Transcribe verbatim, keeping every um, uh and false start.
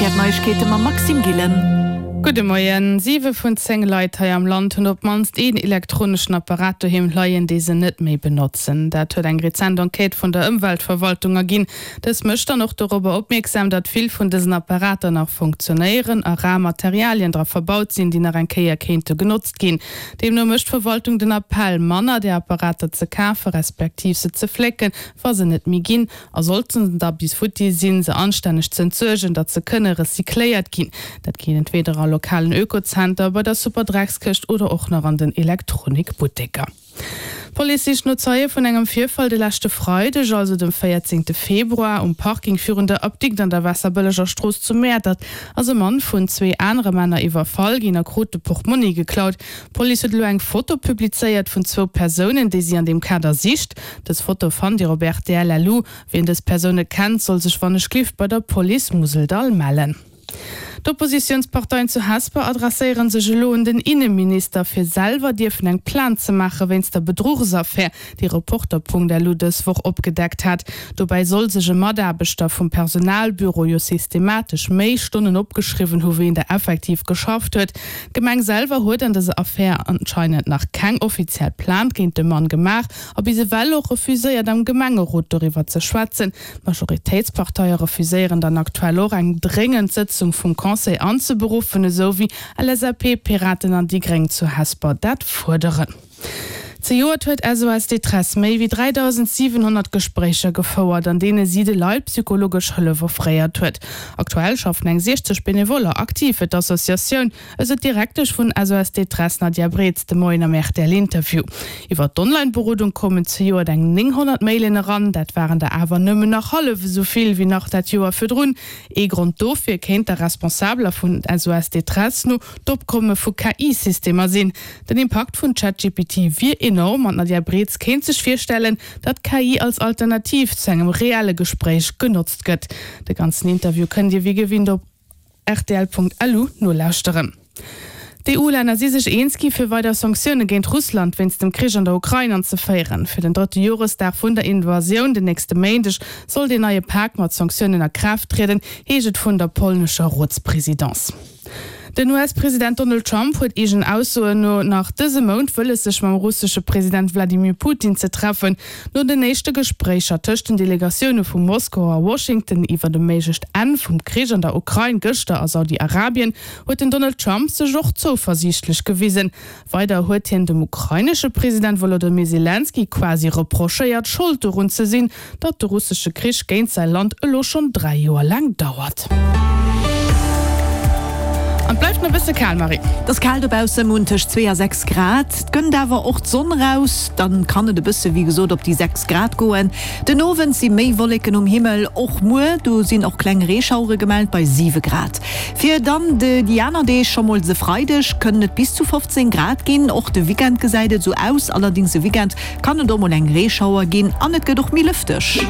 D'Neiegkeete mam Maxime Gillen. Gudde Moien. Siwe vun zéng Leit hei am Land hunn op d'mannst een elektroneschen Apparat doheem leien, dee se net méi benotzen. Dat huet eng rezent Enquête vun der Ëmweltverwaltung erginn. Dës mécht dann och dorobber opmierksam, datt vill vun dësen Apparater nach funktionéieren a rar Materialien dra verbaut sinn, déi nach eng Kéier kéinte genotzt ginn. Deemno mécht d'Verwaltung den Appell, manner där Apparater ze kafe respektiv se ze flécken, wa se net méi ginn. A sollten se da bis futti sinn, se anstänneg ze entsuergen, datt se kënne recycléiert ginn. Dat geet entweder a lokalen Ökozenter, bei der Superdreckskëscht oder och nach an den Elektronikbutteker. D'Police sicht no Zeie vun engem Virfall de leschte Freideg, also dem véierzéngte Februar, um Parking virun der Apdikt an der Waasserbëlleger Strooss zu Mäertert ass e Mann vun zwee anere Männer iwwerfall ginn a krut de Portmonni geklaut. D'Police huet elo eng Foto publizéiert vun zwou Persounen, déi si an deem Kader sicht. Dës Foto fannt Dir op rtl. Lu. Wien dës Persoune kennt, soll sech wannechgelift bei der Police Museldall mellen. D'Oppositiounsparteien zu Hesper adresséiere sech elo un den Inneminister, fir selwer dierfen eng Plainte ze maache wéinst der Bedruchsaffär, déi Reporter.lu dës Woch opgedeckt hat. Dobäi soll sech e Mataarbechter vum Personalbüro jo systematesch méi Stonnen opgeschriwwen hu wéi en der effektiv geschafft huet. D'Gemeng selwer huet an dëser Affär anscheinend nach keng offiziell Plainte géint de Mann gemaach a bis ewell och refuséiert am Gemengerot doriwwer ze schwätzen. D'Majoritéitsparteie refuséieren dann aktuell och eng dréngend Sëtzung vum Conseil anzeberuffen, esou wéi LSAP, Piraten an déi Gréng zu Hesper dat fuerderen. Zejoert huet SOS Détresse méi wéi dräidausendsiwenhonnert Gespréicher gefouert, an deene si de Leit psychologesch Hëllef offréiert huet. Aktuell schaffen eng siechzeg Benevoller aktiv fir d'Associatioun, esou d'Direktesch vun SOS Détresse Nadia Breetz de Moien am R T L-Interview. Iwwer d'Online-Berodung koumen zejoert eng nénghonnert Mailen eran, dat waren der awer nëmmen nach hallef esou vill wéi nach dat Joer virdrun. Ee Grond dofir kéint der Responsabeler vun S O S Détresse no d'Opkomme vu K I-Systemer sinn. Den Impakt vun ChatGPT wier enorm an d'Nadia Breetz kéint sech virstellen, datt K I als Alternativ zu engem reelle Gespréich genotzt gëtt. De ganzen Interview kënnt Dir wéi gewinnt op rtl Punkt L U nolauschteren. D'E U-Länner si sech eens gi fir weider Sanktioune géint Russland wéinst dem Krich an der Ukrain anzeféieren. Fir den drëtte Joresdag vun der Invasioun den nächste Méindeg soll deen neie Pak mat Sanktiounen a Kraaft trieden, heescht et vun der polnescher Rotspresidence. Den U S-President Donald Trump huet eegen Aussoen no nach dëse Mount wëlles sech mam russesche President Wladimir Putin ze treffen. No den éischte Gespréicher tëscht den Delegatioune vu Moskau a Washington iwwer e méiglecht Enn vum Krich an der Ukrain gëschter a Saudi-Arabien huet den Donald Trump sech och zouversiichtlech gewisen. Weider huet hien dem ukrainesche President Wolodymyr Selenskyj quasi reprochéiert, Schold dorun ze sinn, datt de russesche Krich géint säi Land elo schonn dräi Joer laang dauert. An et bleift nach e bësse kal, Marie. Et ass kal dobausse, mir hunn tëscht zwee a sechs Grad. Et kënnt awer och d'Sonn raus, dann kann et e bësse wéi gesot op déi sechs Grad goen. Den Owend si méi Wolleken um Himmel, och muer, do sinn och kleng Reeschauere gemellt bei siwe Grad. Fir dann déi aner Deeg, scho mol de Freideg, kënnen et bis zu fofzéng Grad ginn. Och de Weekend gesäit et esou aus, allerdéngs de Weekend kann et och mol eng Reeschauer ginn an et gëtt och méi lëfteg.